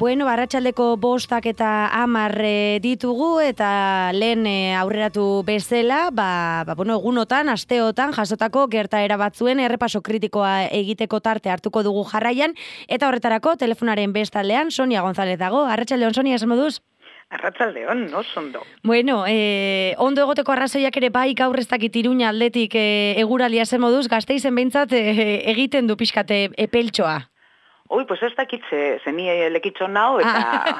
Bueno, arratsaldeko 5 eta 10 ditugu eta lehen aurreratu bezala, egunotan, asteotan jasotako gertaera batzuen errepaso kritikoa egiteko tarte hartuko dugu jarraian eta horretarako telefonaren bestaldean Sonia González dago. Arratsaldeon Sonia, esan moduz? Arratsaldeon, oso ondo. Bueno, ondo egoteko arrazoiak ere bai gaur ez dakit Iruña aldetik eguralia zen moduz, Gasteizen behintzat egiten du pixkate epeltxoa. Ui, pues ez dakit zeni lekitxo nao, eta...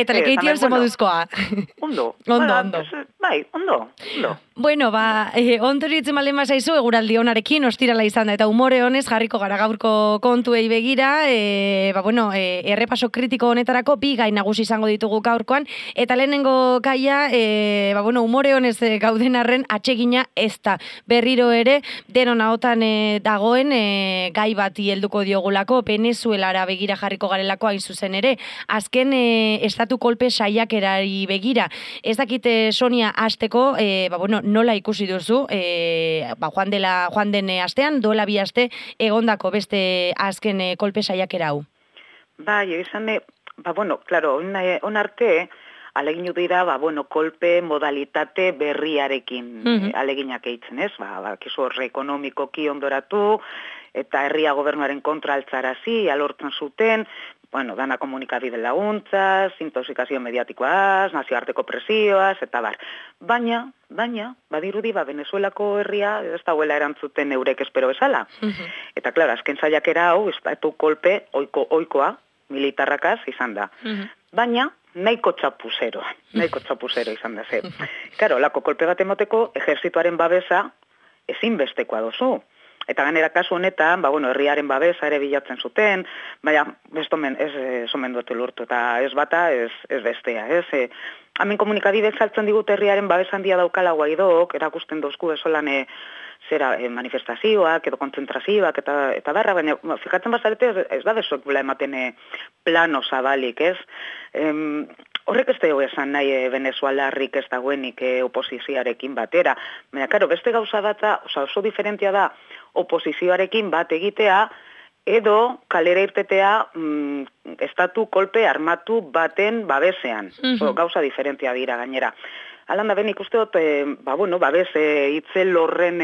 Eta lekeition zen moduzkoa. Ondo. Ondo. Bai, ondo. Bueno, ondo horitzen malen bazaizu, eguraldi onarekin, ostirala izan da, eta umore honez jarriko gara gaurko kontuei begira, errepaso kritiko honetarako bi gai nagusi izango ditugu gaurkoan, eta lehenengo gaia, umore honez gauden arren atsegina ez da. Berriro ere, denon ahotan dagoen gai bati helduko diogulako, Venezuelara begira jarriko garelako hain zuzen ere. Azken estatu kolpe saiakerari begira. Ez dakite Sonia hasteko, nola ikusi duzu, joan den astean, duela 2 aste, egondako beste azken kolpe saiakera hau. Bai, izan, claro, on arte, aleginu dira, kolpe modalitate berriarekin aleginak eitzen, ez? Kizu horre ekonomikoki ondoratu, eta herria gobernuaren kontra altzarazi, alortzen zuten, dana komunikabide laguntzaz, intoxikazio mediatikoaz, nazioarteko presioaz, eta bar. Baina, badirudi, Venezuelako herria ez dauela erantzuten eurek espero bezala. Eta, klaro, azken saiakera hau, estatu kolpe oikoa, militarrakaz izan da. Baina, nahiko txapuzero izan da, ze. Karo, lako kolpe bat emoteko, ejerzituaren babesa ezinbestekoa dozu. Eta ganera kasu honetan, herriaren babesa ere bilatzen zuten, baina ez omen duetu lurtu, eta ez bata, ez bestea, ez? Hemen komunikabidez saltzen digut herriaren babesa handia daukala Guaidok, erakusten dozku esolan manifestazioak edo kontzentrazioak eta barra, baina fikatzen bazarete ez da bezuek ematen plano zabalik, ez? Horrek ez dugu esan nahi venezuelarrik ez dagoenik oposizioarekin batera. Baina, karo, beste gauza bat oso diferentia da oposizioarekin bat egitea edo kalera irtetea estatu kolpe armatu baten babesean. Gauza diferentia dira gainera. Alan da ben ikuste dut, babes itzel horren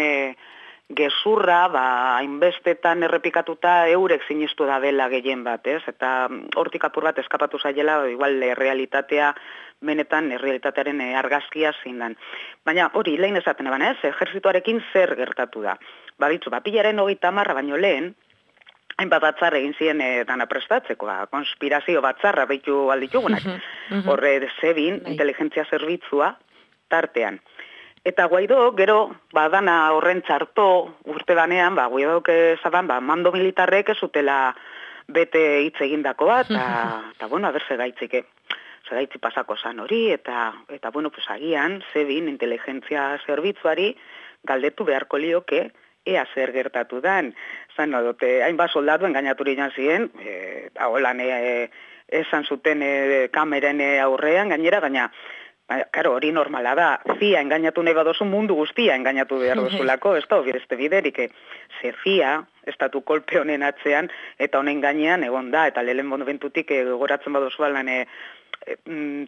gezurra, hainbestetan errepikatuta eurek sinistu da dela gehien bat, ez? Eta hortik apur bat eskapatu zaiela, igual realitatea, benetan realitatearen argazkia zindan. Baina hori, lehen esaten eban, ez? Ejerzituarekin zer gertatu da. Bitzu, pilaren 30 baino lehen, hainbat batzar egin ziren dana prestatzeko, konspirazio batzarra behitu alditugunak. Horre zebin, inteligentzia zerbitzua tartean. Eta Guaidok, gero, dana horren txarto urte danean, Guaidok ezaban, mando militarrek ez zutela bete hitz egindako bat, eta aber segaitzi pasako zan hori, eta agian, zebin, inteligentzia zerbitzuari galdetu beharko lioke, ea zer gertatu dan. Zan dote, hainbat soldatu engainaturi jan ziren, holan esan zuten kameren aurrean gainera, baina, karo, hori normala da, zia engainatu nahi badozu mundu guztia engainatu behar duzulako, ez da, beste biderik, ze zia, estatu kolpe honen atzean, eta honen gainean egon da, eta lehen bentutik goratzen badozu balan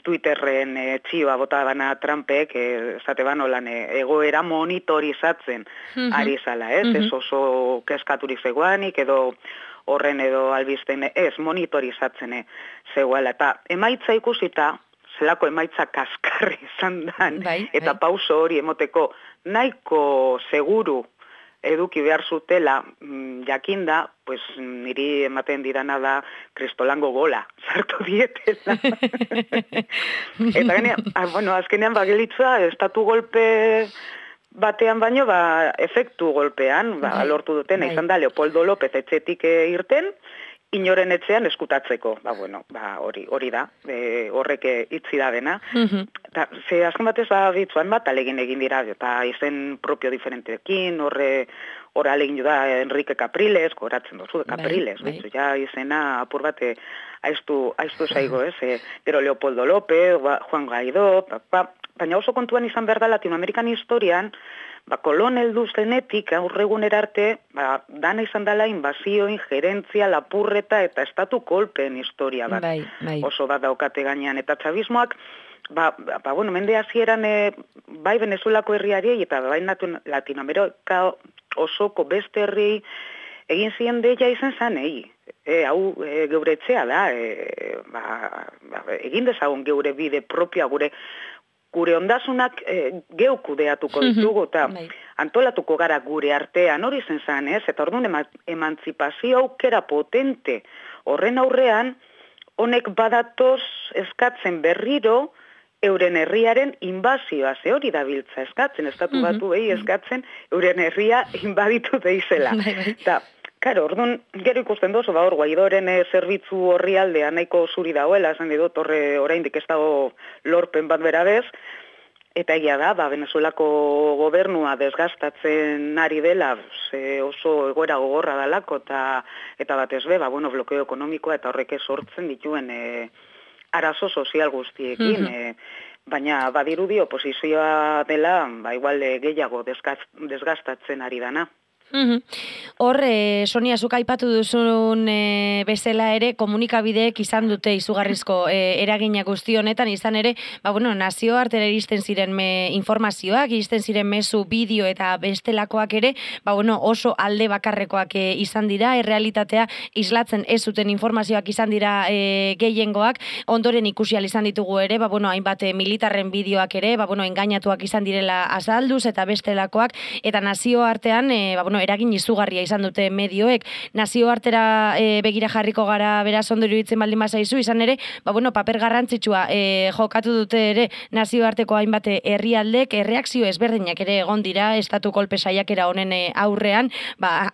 Twitterren txioa bota bana Trumpek, esate ban holan egoera monitorizatzen ari zala, ez? Ez oso keskaturik zegoanik, edo horren edo albisten ez monitorizatzen zegoela, eta emaitza ikusita, zelako emaitza kaskarri izan dan, eta pauso hori emoteko nahiko seguru eduki behar zutela jakinda, pues niri ematen didana da kristolango gola, sartu dietela. Eta azkenean gelitza, estatu golpe batean baino, efektu golpean, lortu dutena, izan da Leopoldo López etxetik irten, inoren etxean eskutatzeko. Hori da, horrek itzi da dena. Ze azken batez bitzuan bat alegin egin dira, eta izen propio diferentekin, horre alegin da Enrique Capriles, goratzen dozu, Capriles, ja izena apur bat aiztu zaigo, ez? Gero Leopoldo López, Juan Guaidó, baina oso kontuan izan behar da Latinoamerikan historian, kolon heldu zenetik aurregunera arte, dana izan dela inbazio, injerentzia, lapurreta eta estatu kolpeen historia bat. Bai. Oso bat daukate gainean. Eta txabismoak, bueno, mende hasieran bai Venezuelako herriari eta bai Latinoamerika osoko beste herri egin ziren deia izan zanei. Hau geure etxea da, egin dezagun geure bide propia, gure ondasunak geu kudeatuko ditugu, eta antolatuko gara gure artean, hori zen zan, eta orduan emantzipazio aukera potente horren aurrean, honek badatoz eskatzen berriro, euren herriaren inbazioa, ze hori dabiltza eskatzen, estatu batu eskatzen, euren herria inbaditu deizela. Eta, karo, orduan, gero ikusten dozu, hor Guaidoren zerbitzu horri aldea nahiko zuri dagoela, esan dut, horre oraindik ez dago lorpen bat berabez, eta egia da, Venezuelako gobernua desgastatzen ari dela, oso egoera gogorra dalako, eta batez be, blokeo ekonomikoa eta horrek sortzen dituen arazo sozial guztiekin, baina badirudi oposizioa dela, igual gehiago desgastatzen ari dana. Hor, Sonia, zuk aipatu duzun bezala ere, komunikabideek izan dute izugarrizko eragina guzti honetan, izan ere, nazioartera iristen ziren informazioak, iristen ziren mezu, bideo eta bestelakoak ere, oso alde bakarrekoak izan dira, errealitatea islatzen ez zuten informazioak izan dira gehiengoak, ondoren ikusi ahal izan ditugu ere, hainbat militarren bideoak ere, engainatuak izan direla azalduz eta bestelakoak, eta nazioartean, eragin izugarria izan dute medioek, nazioartera begira jarriko gara beraz ondo iruditzen baldin bazaizu, izan ere, paper garrantzitsua jokatu dute ere nazioarteko hainbat herrialdek, erreakzio ezberdinak ere egon dira, estatu kolpe saiakera honen aurrean,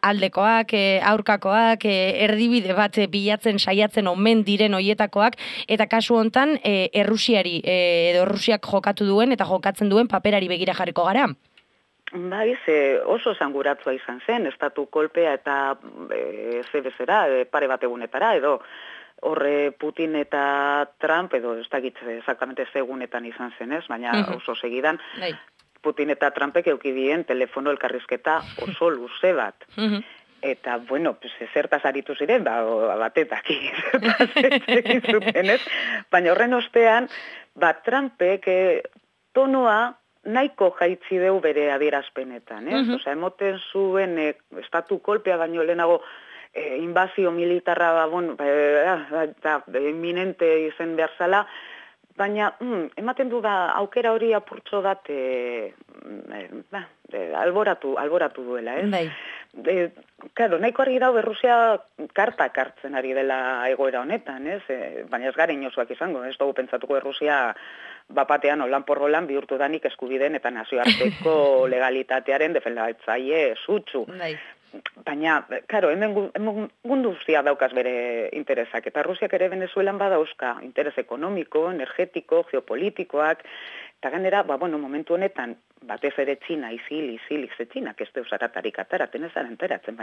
aldekoak, aurkakoak, erdibide bat bilatzen saiatzen omen diren hoietakoak, eta kasu hontan Errusiari, edo Errusiak jokatu duen eta jokatzen duen paperari begira jarriko gara. Oso esanguratzua izan zen, estatu kolpea eta zebezera, pare bat egunetara, edo horre Putin eta Trump, edo ez dakit exactamente segunetan izan zen ez, baina oso segidan, Putin eta Trumpek eukidien telefono elkarrizketa oso luze bat. Eta, zertaz aritu ziren, batetak egin zuten ez, baina horren ostean, Trumpek tonoa nahiko jaitzi deu bere adierazpenetan, Osea, emoten zuen estatu kolpea baino lehenago inbazio militarra eminente izen behar zala, baina ematen du aukera hori apurtxo bat alboratu duela, Claro, nahiko argi dago Errusia kartak hartzen ari dela egoera honetan, baina ez gara inozuak izango, ez dugu pentsatuko Errusia bapatean olan porrolan bihurtu danik eskubideen eta nazioarteko legalitatearen defendatzaile sutsu. Baina, karo, hemen mundu guztia daukaz bere interesak, eta Rusiak ere Venezuelan badauzka interes ekonomiko, energetiko, geopolitikoak, eta gainera, momentu honetan, batez ere Txina, izilik ze Txinak ez deus aratarik ataraten ez enteratzen,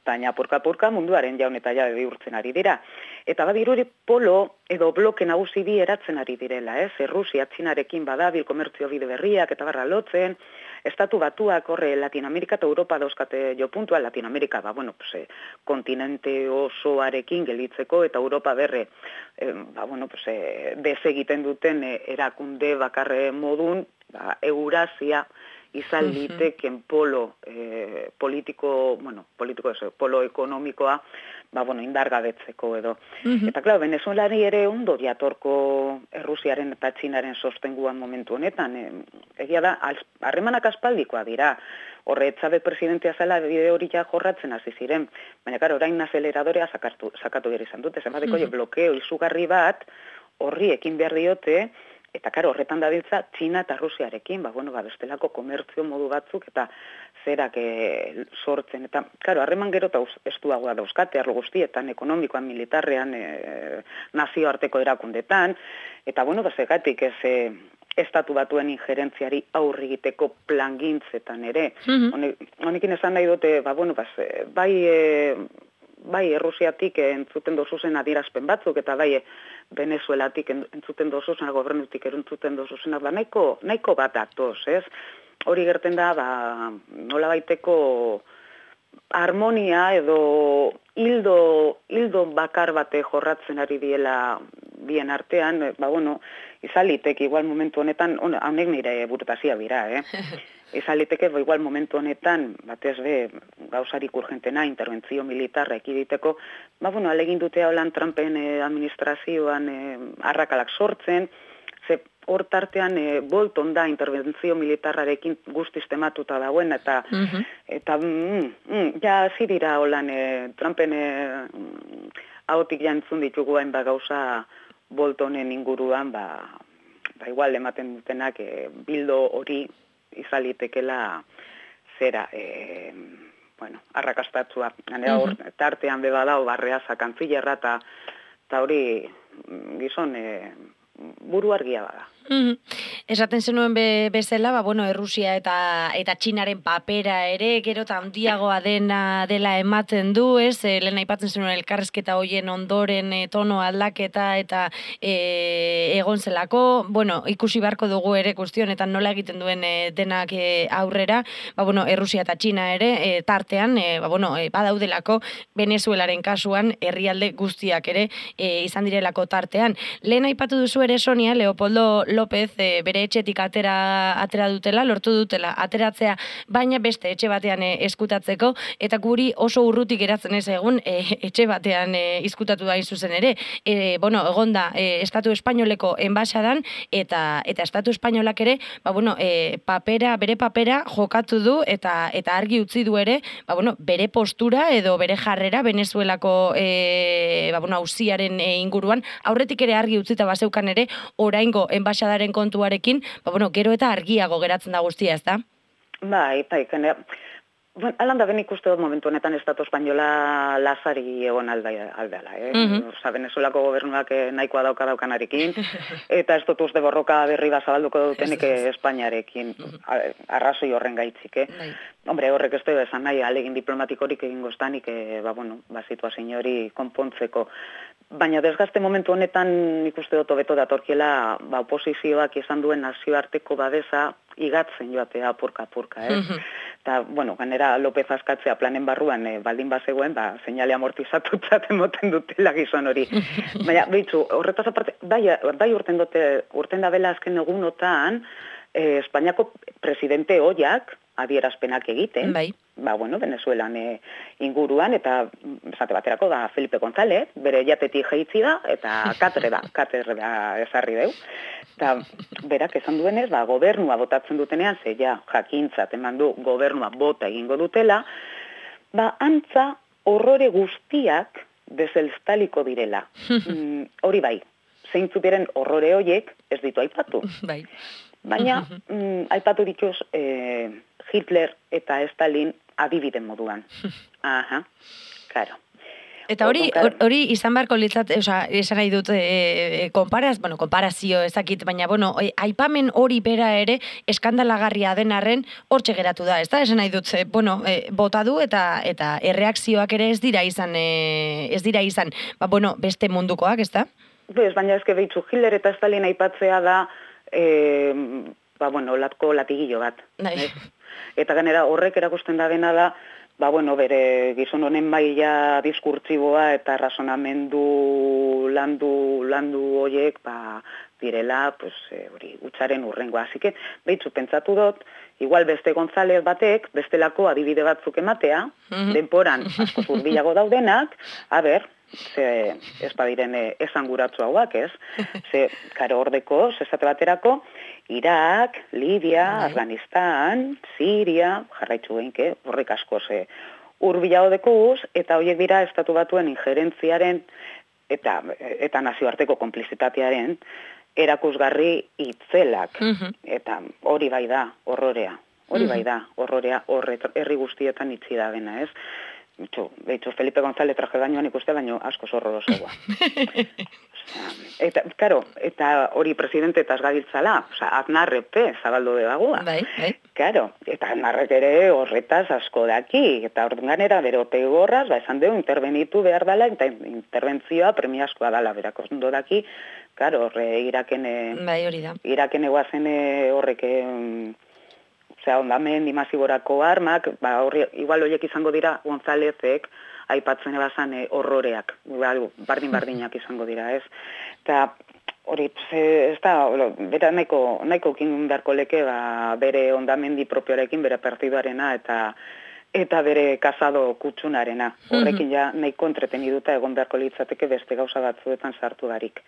baina apurka munduaren jaun eta jabe bihurtzen ari dira. Eta badiruri polo edo bloke nagusi bi eratzen ari direla, Rusia Txinarekin badabil komertzio bide berriak eta barra lotzen, estatu batuak horre Latinoamerika eta Europa dauzkate jo puntua, Latinoamerika, kontinente osoarekin gelitzeko eta Europa berre, desegiten duten erakunde bakarre modun, Eurasia izan liteken polo politiko, polo ekonomikoa, indargabetzeko edo. Eta, klar, Venezuelari ere ondo diatorko Errusiaren eta Txinaren sostenguan momentu honetan. Egia da, harremanak aspaldikoa dira. Horre, Chávez presidentea zela bide hori ja jorratzen hasi ziren. Baina, klar, orain azeleradorea sakatu behar izan dute. Zenbateko blokeo izugarri bat horri ekin behar diote, eta karo, horretan dabiltza Txina eta Rusiarekin, bestelako komertzio modu batzuk eta zerak sortzen. Eta, karo, harreman gero eta estuagoa dauzkate, arlo guztietan, ekonomikoan, militarrean, nazioarteko erakundetan, eta, zegatik ez estatu batuen injerentziari aurri egiteko plangintzetan ere. Honekin esan nahi dute, bai Errusiatik entzuten dozuzen adierazpen batzuk, eta bai Venezuelatik entzuten dozuzen, gobernutik entzuten dozuzen, nahiko bat datoz, ez? Hori gerten da, nola baiteko harmonia edo hildo bakar bate jorratzen ari diela bien artean, izalitek igual momentu honetan, honek nire burutazia bira, izaliteke igual momentu honetan, batez be, gauzarik urgentena, interventzio militarra ekiditeko, alegin dute holan Trumpen administrazioan arrakalak sortzen, ze hor tartean Bolton da interventzio militarrarekin guztiz tematuta dauen, eta ja hasi dira holan Trumpen ahotik jantzun ditugu hainbat gauza Boltonen inguruan, igual ematen dutenak bildo hori izalitekela zera, arrakastatzua. Hor tartean bebadao Barreaza kantzillerra, eta hori gizon buru argia bada. Esaten zenuen bezala, Errusia eta Txinaren papera ere, gero eta handiagoa dela ematen du, ez? Lehen aipatzen zenuen elkarrezketa hoien ondoren tono aldaketa eta egon zelako, ikusi beharko dugu ere guztionetan nola egiten duen denak aurrera, Errusia eta Txina ere tartean, badaudelako Venezuelaren kasuan herrialde guztiak ere izan direlako tartean. Lehen aipatu duzu ere, Sonia, Leopoldo López bere etxetik atera dutela, lortu dutela ateratzea, baina beste etxe batean eskutatzeko, eta guri oso urrutik geratzen ez egun etxe batean izkutatu da zuzen ere. Egonda Estatu Espainoleko enbaxadan, eta Estatu Espainolak ere, bere papera jokatu du, eta argi utzi du ere, bere postura edo bere jarrera Venezuelako auziaren inguruan, aurretik ere argi utzita bazeukan ere, oraingo enbaxadaren kontuarekin, gero eta argiago geratzen da guztia, ez da? Bai, alanda ben ikuste dut momentu honetan Estatu Espainola lazari egon aldeala, Venezuelako gobernuak nahikoa daukanarekin, eta ez dut uste borroka berri zabalduko dutenik Espainiarekin, arrazoi horren gaitzik, Hombre, horrek ez da esan nahi, alegin diplomatikorik egingo estanik, situazio hori konpontzeko. Baina desgazte momentu honetan ikuste dut hobeto datorkiela oposizioak izan duen nazioarteko babesa igatzen joatea apurka, Eta, ganera López askatzea planen barruan baldin bazegoen, seinale amortizatutzat emoten dutela gizon hori. Baina, behitzu, horretaz aparte, bai urten da bela azken egunotan, Espainiako presidente oiak adierazpenak egiten, Venezuelan inguruan, eta esate baterako Felipe González, bere jatetik jeitzi da, eta katedra ezarri deu. Eta berak esan duenez, gobernua botatzen dutenean, jakintzat eman du gobernua bota egingo dutela, antza horrore guztiak dezelstaliko direla. Hori bai, zeintzu diren horrore hoiek ez ditu aipatu. Baina, aipatu dituz Hitler eta Stalin adibiden moduan. Claro. Eta hori izan beharko litzat, esan nahi dut, konparazio ezakit, baina, aipamen hori bera ere eskandalagarria den arren hortxe geratu da, ez da? Esan nahi dut, bota du eta erreakzioak ere ez dira izan, beste mundukoak, ez da? Baina ezke behitzu, Hitler eta Stalin aipatzea da, latko latigillo bat. Eta ganera horrek erakusten da dena da, bere gizon honen maila diskurtsiboa eta razonamendu landu horiek, direla, hori, utzaren urrengoa. Así que, behitzu, pentsatu dut, igual beste González batek, bestelako adibide batzuk ematea, denporan asko zurbilago daudenak, ze ez badiren esanguratzu hauak, ez? Ze, karo ordeko, esate baterako, Irak, Libia, Afganistan, Siria, jarraitzu geinke, horrek asko hurbilago dekuz, eta horiek dira estatu batuen injerentziaren eta nazioarteko konplizitatearen erakusgarri itzelak. Eta hori bai da, horrorea. Hori bai da, horrorea, herri guztietan itzi da dena, ez? Behitzu, Felipe González traje gainoan ikuste, baino asko horrorosoa. Eta, karo, eta hori presidente eta gabiltzala, Aznarrepe zabaldu debagua. Bai. Karo, eta Aznarrek ere horretaz asko daki, eta ordenganera bere otegi gorraz, esan dugu, intervenitu behar dela, eta interbentzioa premiazkoa dela, berako ondo daki, karo, horre Iraken... Bai, hori da. Iraken eguazen horrek... ondamen dimasiborako armak, igual horiek izango dira Gonzálezek, aipatzen ebazan horroreak, bardin-bardinak izango dira, ez? Eta hori, ez da, bera nahiko kin beharko leke, bere ondamendi propioarekin, bere partiduarena, eta bere kasado kutsunarena. Horrekin ja nahiko entreteniduta egon beharko litzateke beste gauza batzuetan sartu barik.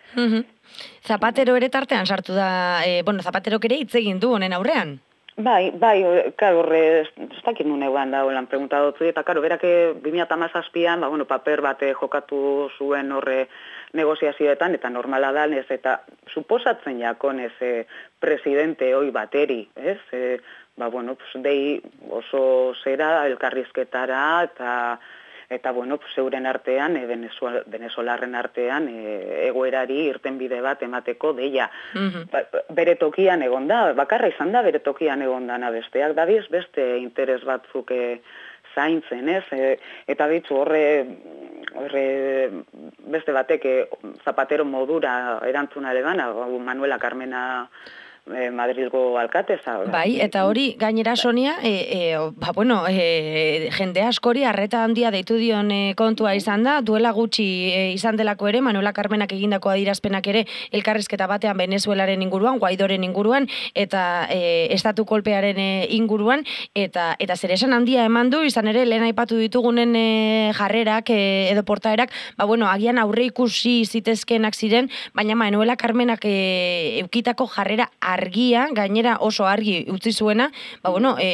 Zapatero ere tartean sartu da, Zapaterok ere hitz egin du honen aurrean. Bai, karo, horre, ez dakit nun eguan da, holan pregunta dutzu, eta karo, berake 2017an, paper bate jokatu zuen horre negoziazioetan, eta normala da, ez, eta suposatzen jakon ez presidente hoi bateri, ez, dei oso zera elkarrizketara, eta euren artean, venezolarren artean, egoerari irtenbide bat emateko deia. Bere tokian egon da, bakarra izan da bere tokian egon dana besteak, dabiz beste interes batzuk zaintzen, ez? Eta bitzu horre beste batek Zapatero modura erantzuna legana, Manuela Carmena Madrilgo alkateza. Bai, eta hori gainera Sonia, jende askori arreta handia deitu dion kontua izan da, duela gutxi izan delako ere, Manuela Carmenak egindako adierazpenak ere elkarrizketa batean Venezuelaren inguruan, Guaidoren inguruan, eta estatu kolpearen inguruan, eta zeresan handia eman du, izan ere, lehen aipatu ditugunen jarrerak edo portaerak, agian aurre ikusi zitezkenak ziren, baina Manuela Carmenak eukitako jarrera argia, gainera oso argi utzi zuena,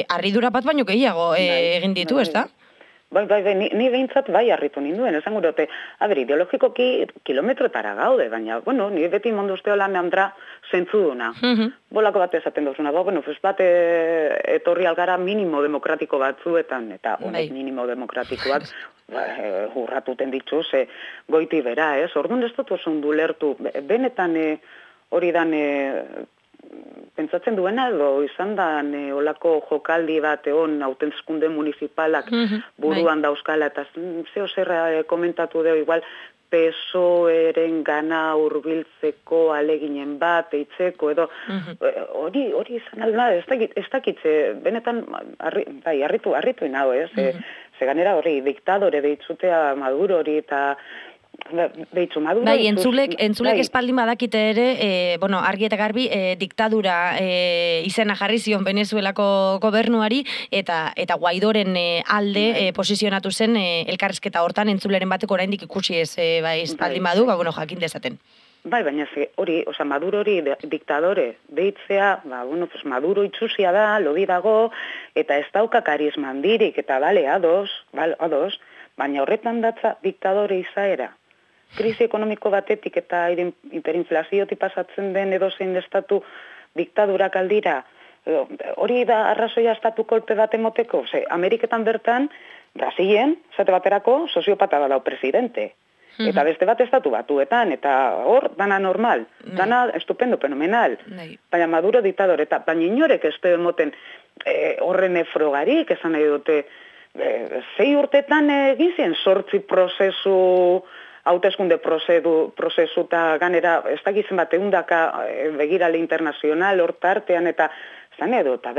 harridura bat baino gehiago egin ditu, ez da? Bai, ni behintzat bai harritu ninduen, esan gurote, ideologikoki kilometrotara gaude, baina, ni beti mondu uste holan meandra zentzuduna. Bolako bat esaten duzuna, bat etorri algara minimo demokratiko batzuetan, eta honek minimo demokratikoak urratuten dituz, goiti bera, ez? Orduan ez dut oso ondu lertu, benetan hori dan pentsatzen duena edo izan da olako jokaldi bat egon hauteskunde municipalak buruan dauzkala eta zeo zerra komentatu deo igual PSOEren gana hurbiltzeko aleginen bat eitzeko edo hori izan alda ez dakitze benetan harritu inau ez ze ganera hori diktadore deitzutea Maduro hori eta Maduro, bai, entzulek espaldin badakite ere, argi eta garbi diktadura izena jarri zion Venezuelako gobernuari eta Guaidoren alde posizionatu zen elkarrizketa hortan entzuleren bateko oraindik ikusi ez espaldin badu, jakin dezaten. Bai, baina hori, Maduro hori diktadore deitzea, Maduro itxusia da, lodi dago, eta ez dauka karisma handirik, eta ados, baina horretan datza diktadore izaera. Krisi ekonomiko batetik eta hiperinflaziotik pasatzen den edozein estatu diktadurak aldira, hori da arrazoia estatu kolpe bat emoteko. Ameriketan bertan, Brasilen, zate baterako, soziopata badau presidente. Eta beste bat estatu batuetan, eta hor, dana normal, dana estupendo, fenomenal. Baina Maduro diktadore, eta baina inorek ez du emoten horren frogarik, esan nahi dute, 6 urtetan egin zien 8 prozesu, hauteskunde prozesu eta ganera, ez dakizen bat eundaka begirale internazional hortartean eta zan edo, eta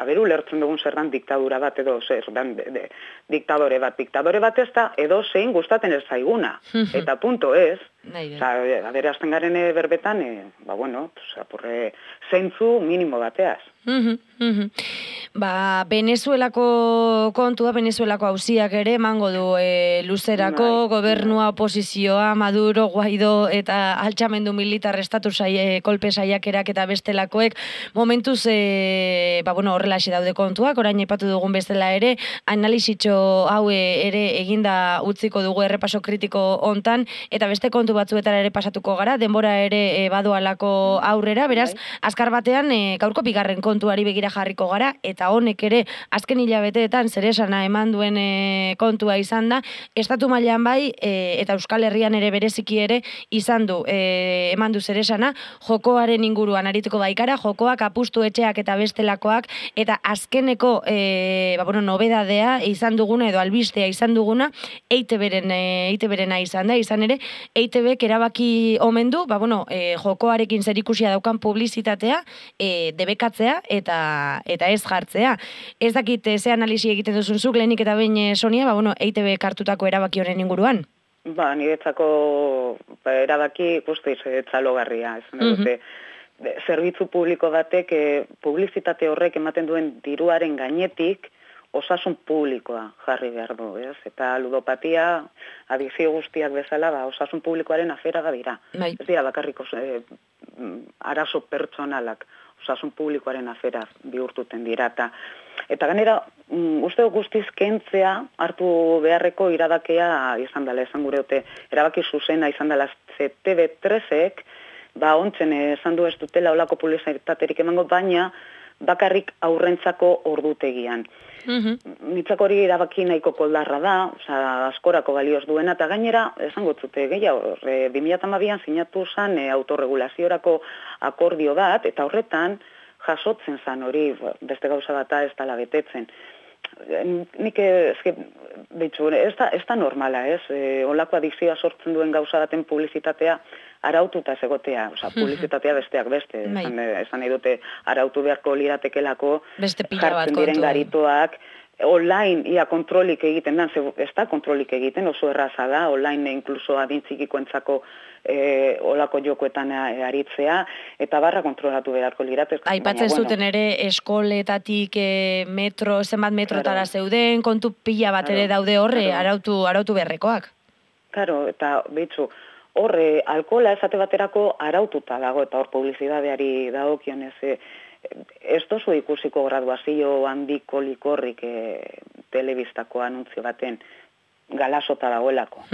aberu lertzen dugun zer dan diktadura bat edo zer dan diktadore bat ez da edo zein gustaten ez zaiguna. Eta punto ez, azten garen berbetan, zentzu minimo bateaz. Venezuelako kontua, Venezuelako auziak ere emango du luzerako, gobernua, oposizioa, Maduro, Guaido eta altxamendu militar estatu kolpe saiakerak eta bestelakoek momentuz horrela daude kontuak, orain aipatu dugun bezala ere, analizitxo hau ere eginda utziko dugu errepaso kritiko hontan, eta beste kontu batzuetara ere pasatuko gara, denbora ere badoalako aurrera, beraz, azkar batean gaurko bigarren kontuari begira jarriko gara, eta eta honek ere azken hilabeteetan zeresana eman duen kontua izan da, estatu mailan bai eta Euskal Herrian ere bereziki ere izan du eman du zeresana, jokoaren inguruan arituko baikara, jokoak, apustu etxeak eta bestelakoak, eta azkeneko nobedadea izan duguna edo albistea izan duguna EITB-rena izan da, izan ere EITB-k erabaki omen du, jokoarekin zerikusia daukan publizitatea debekatzea eta ez jartzea. Ez dakit ze analisi egiten duzun zuk, lehenik eta behin Sonia, EITB-k hartutako erabaki honen inguruan? Niretzako erabaki guztiz txalogarria, esan dute. Zerbitzu publiko batek publizitate horrek ematen duen diruaren gainetik osasun publikoa jarri behar du, ez? Eta ludopatia, adikzio guztiak bezala, osasun publikoaren afera dira. Ez dira bakarriko arazo pertsonalak, osasun publikoaren afera bihurtuten dira. Eta ganera, uste guztiz kentzea hartu beharreko irabakea izan dela, esan gure dute, erabaki zuzena izan dela TV3-ek, ontzen esan du ez dutela olako publizitaterik emango, baina bakarrik aurrentzako ordutegian. Nitzako hori erabaki nahiko koldarra da, askorako balioz duena, eta gainera, esango zute, gehiago, 2012an sinatu zen autorregulaziorako akordio bat, eta horretan jasotzen zen hori, beste gauza bata ez dela betetzen. Nik ez da normala, ez? Olako adikzioa sortzen duen gauza baten publizitatea araututa egotea, publizitatea besteak beste. Esan nahi dute arautu beharko liratekelako jartzen diren garitoak, online ia kontrolik egiten da, ez da kontrolik egiten, oso erraza da, online inkluso adintzikikoentzako olako jokoetan aritzea, eta barra kontrolatu beharko liratez. Aipatzen zuten ere eskoletatik zenbat metrotara zeuden, kontu pila bat ere daude horre, arautu beharrekoak. Karo, eta behitzu, horre, alkohola esate baterako araututa dago, eta hor publizidadeari dagokionez, ez dozu ikusiko graduazio handiko likorrik telebistako anuntzio baten galasota dagoelako.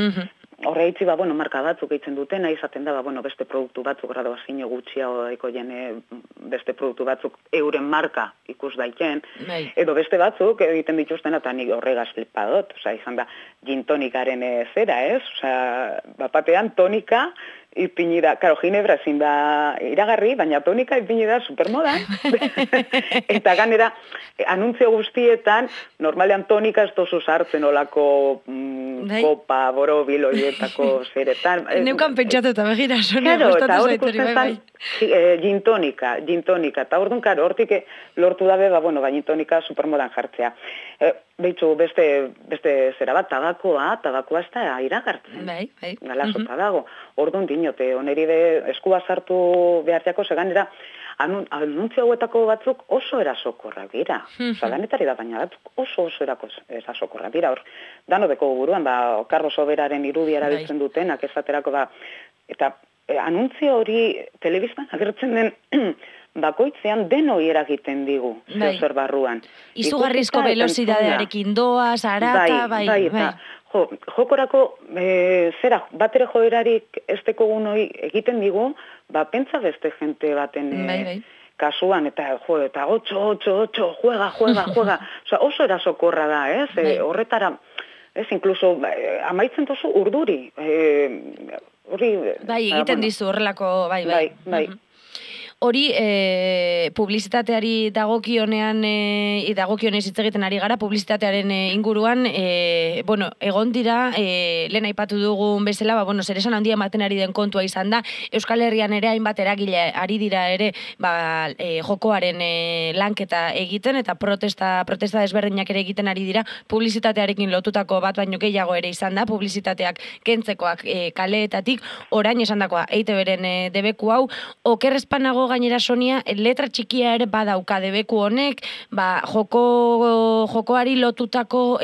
Horre hitzi, marka batzuk eitzen dutena, izaten da, beste produktu batzuk graduazio gutxiago jene, beste produktu batzuk euren marka ikus daiken, edo beste batzuk egiten dituzten, eta nik horregaz flipadot, izan da, gintonikaren zera, ez? Bapatean tonika, ipini da, karo, ginebra ezin da iragarri, baina tonika ipini da supermodan. Eta ganera, anuntzio guztietan, normalean tonika ez dozu sartzen olako kopa, boro, biloietako zeretan. Neukan pentsatu eta begira, Sonia, gustatu zaitori, bai. Gintonika, eta orduan, karo, hortik lortu dabe, gintonika supermodan jartzea. Behitzu, beste zera bat, tabakoa ez da iragartzen. Galasota dago. Orduan dinote, oneri eskua sartu behartiako, seganera, anuntzio hauetako batzuk oso erasokorrak dira. Danetari da baina batzuk oso erasokorrak dira. Dano beko buruan, Carlos Soberaren irudia erabiltzen dutenak esaterako eta anuntzio hori telebistan agertzen den bakoitzean denoi eragiten digu, zer barruan. Izugarrizko velozidadearekin doa, zarata, bai. Jokorako, batere joerarik ez dekogunoi egiten digu, pentsa beste jente baten kasuan, eta 8, juega. Oso erasokorra da, ez? Horretara, ez, inkluso, amaitzen tozu urduri. Bai, egiten dizu horrelako, bai. Hori, publizitateari dagokionez hitz egiten ari gara, publizitatearen inguruan, egon dira, lehen aipatu dugun bezala, zeresan handia ematen ari den kontua izan da, Euskal Herrian ere hainbat eragile ari dira ere, jokoaren lanketa egiten, eta protesta desberdinak ere egiten ari dira, publizitatearekin lotutako bat baino gehiago ere izan da, publizitateak kentzekoak kaleetatik, orain esan dakoa, EITB-ren debeku hau, okerrezpanago gainera, Sonia, letra txikia ere badauka debeku honek, jokoari lotutako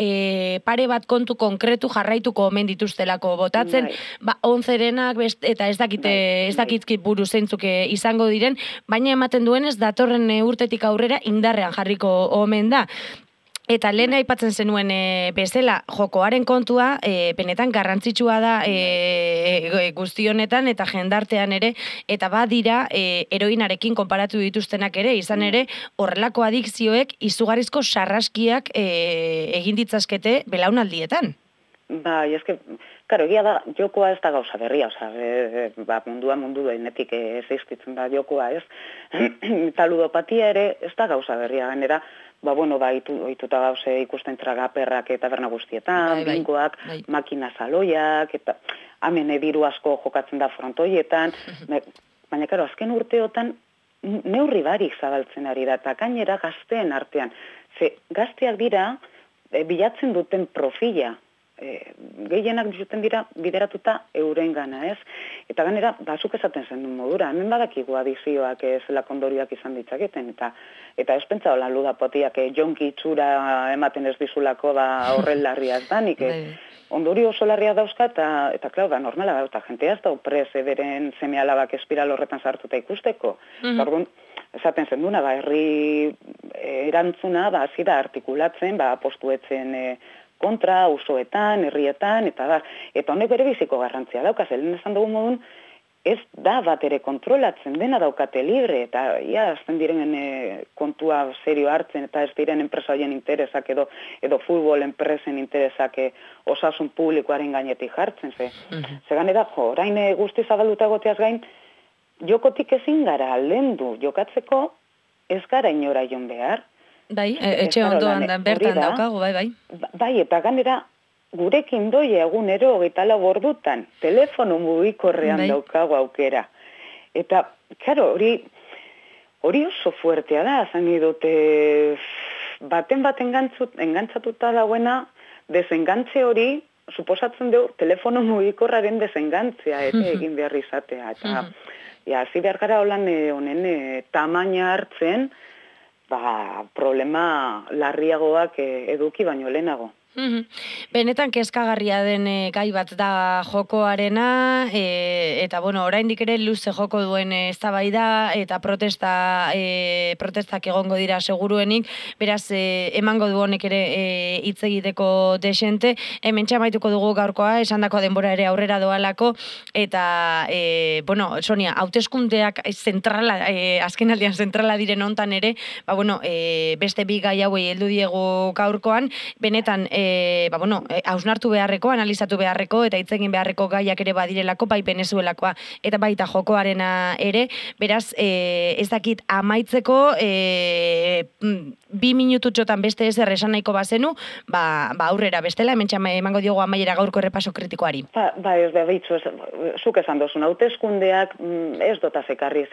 pare bat kontu konkretu jarraituko omen dituztelako botatzen, 11-renak eta ez dakit buru zeintzuk izango diren, baina ematen duenez datorren urtetik aurrera indarrean jarriko omen da. Eta lehen aipatzen zenuen bezala, jokoaren kontua, benetan garrantzitsua da guzti honetan eta jendartean ere, eta badira heroinarekin konparatu dituztenak ere, izan ere, horrelako adikzioek izugarrizko sarraskiak egin ditzazkete belaunaldietan. Bai, eske, karo, egia da, jokoa ez da gauza berria, mundu denetik existitzen da jokoa, ez? Eta ludopatia ere ez da gauza berria, gainera, ohituta gauze ikusten tragaperrak eta taberna guztietan, bingoak, makina saloiak, eta hemen diru asko jokatzen da frontoietan, baina, karo, azken urteotan neurri barik zabaltzen ari da, eta gainera gazteen artean. Ze, gazteak dira, bilatzen duten profila, gehienak bizuten dira bideratuta eurengana, ez? Eta ganera, bazuk esaten zen modura, hemen badakigu adizioak zela kondorioak izan ditzaketen, eta ez pentsa holan ludapotiak jonki itxura ematen ez dizulako horren larria ez danik, ondorio oso larria dauzka, eta klar, normala da, eta jentea ez da prez beren seme alabak espiral horretan sartuta ikusteko. Orduan, esaten zen duna, herri erantzuna, hasi da artikulatzen, postuetzen kontra, usoetan, herrietan, eta honek bere biziko garrantzia daukaz, lehen esan dugu modun, ez da bat ere kontrolatzen, dena daukate libre, eta azten diren kontua serio hartzen, eta ez diren enpresa horien interesak edo futbol enpresen interesak osasun publikoaren gainetik jartzen, ze ganera, orain guzti zabalduta goteaz gain, jokotik ezin gara aldendu, jokatzeko ez gara inora jon behar. Bai, etxe ondoan bertan daukagu, bai. Bai, eta ganera, gurekin doi egunero 24 ordutan, telefono mugikorrean daukagu aukera. Eta, karo, hori oso fuertea da, zan dute, baten engantzatuta dagoena, desengantze hori, suposatzen dugu, telefono mugikorraren desengantzea, egin behar izatea. Eta, hasi behar gara honen tamaina hartzen, problema larriagoak eduki baino lehenago. Benetan kezkagarria den gai bat da jokoarena, eta oraindik ere luze joko duen eztabaida eta protestak egongo dira seguruenik, beraz emango du honek ere hitz egiteko desente. Hemen txamaituko dugu gaurkoa, esandako denbora ere aurrera doalako, eta Sonia, hauteskundeak zentrala, azken aldian zentrala diren hontan ere, beste bi gai hauei heldu diegu gaurkoan, benetan hausnartu beharreko, analizatu beharreko, eta hitz egin beharreko gaiak ere badirelako, bai Venezuelakoa eta baita jokoarena ere, beraz, ez dakit amaitzeko, 2 minututxotan beste ezer esan nahiko bazenu, aurrera bestela, hemen emango diogu amaiera gaurko errepaso kritikoari. Zuk esan dozun, hauteskundeak ez dota zekarri,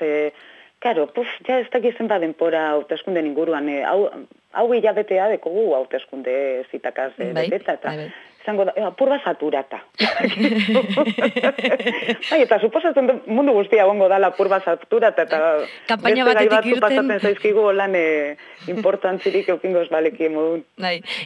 Karo, ez dakizen denpora hauteskunden inguruan, hau hilabetea dekogu hauteskunde zitakaz beteta, eta izango da, apur bat saturata. Eta suposatzen mundu guztia gongo dala apur bat saturata, eta beste gai batzu pasatzen zaizkigu lan importantzirik eukingo ez baleki modun.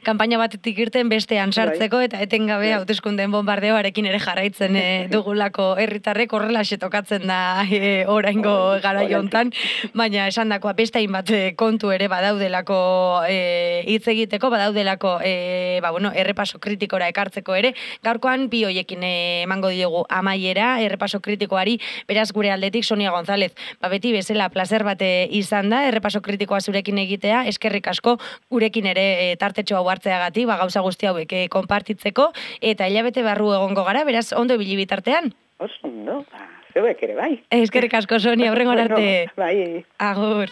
Kampaina batetik irten bestean sartzeko, eta etengabe hauteskundeen bombardeoarekin ere jarraitzen dugulako herritarrek horrela tokatzen da oraingo garaio hontan, baina esandakoa beste hainbat kontu ere badaudelako hitz egiteko, badaudelako errepaso kritikora ekartzeko ere, gaurkoan bi hoiekin emango diogu amaiera errepaso kritikoari, beraz gure aldetik Sonia González, beti bezala placer bat izan da, errepaso kritikoa zurekin egitea, eskerrik asko gurekin ere tartetxo hau hartzeagatik, gauza guzti hauek konpartitzeko, eta hilabete barru egongo gara, beraz ondo ibili bitartean. Oso ondo, zeuek ere bai. Eskerrik asko Sonia, hurrengo arte. Bai. Agur.